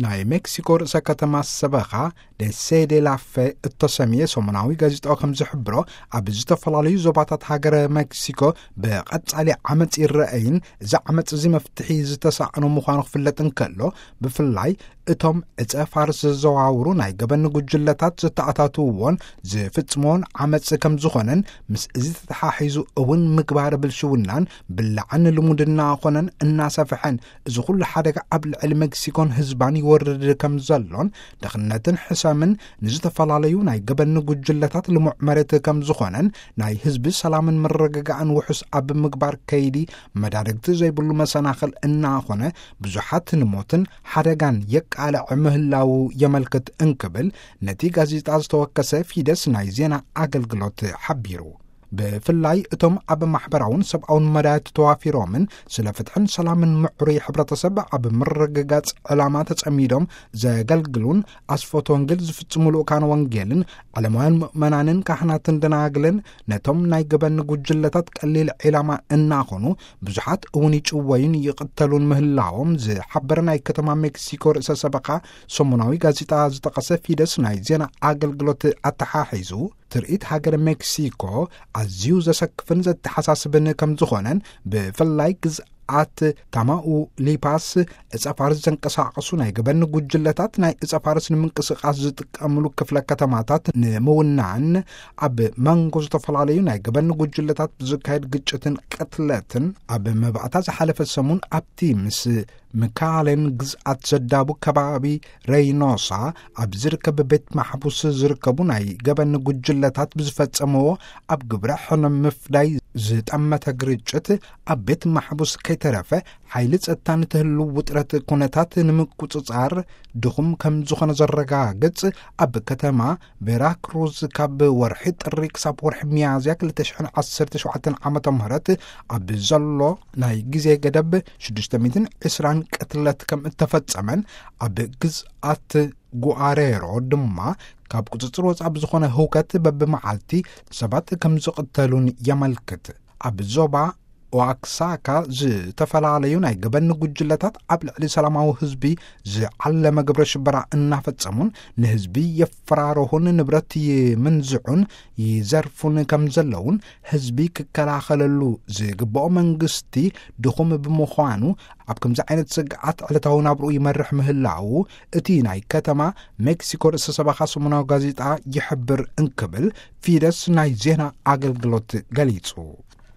ናይ ሜክሲኮ ርእሰ ከተማ ሰበኻ ደሴ ዴ ላፌ እተሰምየ ሰሙናዊ ጋዜጣ ከም ዝሕብሮ፣ ኣብ ዝተፈላለዩ ዞባታት ሃገረ ሜክሲኮ ብቐጻሊ ዓመጽ ይረአይን፣ እዚ ዓመጽ እዚ መፍትሒ ዝተሳእኖ ምዃኑ ክፍለጥ እንከሎ፣ ብፍላይ እቶም ዕጸ ፋርስ ዘዘዋውሩ ናይ ገበን ጉጅለታት ዝተኣታትውዎን ዝፍጽምዎን ዓመጽ ከም ዝኾነን፣ ምስ እዚ ተተሓሒዙ እውን ምግባር ብልሽውናን ብላዕን ልሙድ እናኾነን እናሰፍሐን፣ እዚ ኩሉ ሓደጋ ኣብ ልዕሊ ሜክሲኮን ህዝባን ይወርድ ከም ዘሎን፣ ድኽነትን ሕሰምን ንዝተፈላለዩ ናይ ገበን ጉጅለታት ልሙዕ መሬት ከም ዝኾነን፣ ናይ ህዝቢ ሰላምን ምርግጋእን ውሑስ ኣብ ምግባር ከይዲ መዳርግቲ ዘይብሉ መሰናኽል እናኾነ፣ ብዙሓት ንሞትን ሓደጋን የቃልዕ ምህላዉ የመልክት እንክብል ነቲ ጋዜጣ ዝተወከሰ ፊደስ ናይ ዜና ኣገልግሎት ሓቢሩ። ብፍላይ እቶም ኣብ ማሕበራውን ሰብኣውን መዳያት ተዋፊሮምን ስለ ፍትሕን ሰላምን ምዕሩይ ሕብረተሰብ ኣብ ምርግጋጽ ዕላማ ተጸሚዶም ዘገልግሉን ኣስፈት ወንጌል ዝፍጽሙ ልኡካን ወንጌልን ዓለማውያን ምእመናንን ካህናትን ደናግልን ነቶም ናይ ገበን ጉጅለታት ቀሊል ዒላማ እናኾኑ ብዙሓት እውን ይጭወዩን ይቕተሉን ምህላዎም ዝሓበረ ናይ ከተማ ሜክሲኮ ርእሰ ሰበኻ ሰሙናዊ ጋዜጣ ዝጠቐሰ ፊደስ ናይ ዜና ኣገልግሎት ኣተሓሒዙ፣ ትርኢት ሃገር ሜክሲኮ ኣዝዩ ዘሰክፍን ዘተሓሳስብን ከም ዝኾነን፣ ብፍላይ ግዝኣት ታማኡሊፓስ ዕጸ ፋርስ ዘንቀሳቐሱ ናይ ገበን ጉጅለታት ናይ ዕጸ ፋርስ ንምንቅስቓስ ዝጥቀምሉ ክፍለ ከተማታት ንምውናን፣ ኣብ መንጎ ዝተፈላለዩ ናይ ገበን ጉጅለታት ብዝካየድ ግጭትን ቅትለትን፣ ኣብ መባእታ ዝሓለፈ ሰሙን ኣብቲ ምስ ምካሌን ግዝኣት ዘዳቡ ከባቢ ሬይኖሳ ኣብ ዝርከብ ቤት ማሕቡስ ዝርከቡ ናይ ገበን ጉጅለታት ብዝፈጸምዎ ኣብ ግብረ ሕነ ምፍዳይ ዝጠመተ ግርጭት፣ ኣብ ቤት ማሕቡስ ከይተረፈ ሓይሊ ጸጥታ ንትህሉ ውጥረት ኩነታት ንምቁጽጻር ድኹም ከም ዝኾነ ዘረጋግጽ፣ ኣብ ከተማ ቬራክሩዝ ካብ ወርሒ ጥሪ ክሳብ ወርሒ ሚያዝያ ክልተ ሽሕን ዓሰርተ ሸውዓተን ዓመተ ምህረት ኣብ ዘሎ ናይ ግዜ ገደብ ሽዱሽተ ሚእትን ዕስራን ቅትለት ከም እተፈጸመን፣ ኣብ ግዝኣት ጉኣሬሮ ድማ ካብ ቁጽጽር ወጻኢ ብዝኾነ ህውከት በብመዓልቲ ሰባት ከም ዝቕተሉን የመልክት። ኣብ ዞባ ኦኣክሳካ ዝተፈላለዩ ናይ ገበን ጉጅለታት ኣብ ልዕሊ ሰላማዊ ህዝቢ ዝዓለመ ግብረ ሽበራ እናፈጸሙን ንህዝቢ የፈራርሁን ንብረት ይምንዝዑን ይዘርፉን ከም ዘለውን ህዝቢ ክከላኸለሉ ዝግብኦ መንግስቲ ድኹም ብምዃኑ ኣብ ከምዚ ዓይነት ስግኣት ዕለታዊ ናብርኡ ይመርሕ ምህላዉ እቲ ናይ ከተማ ሜክሲኮ ርእሰ ሰበኻ ሰሙናዊ ጋዜጣ ይሕብር እንክብል ፊደስ ናይ ዜና ኣገልግሎት ገሊጹ።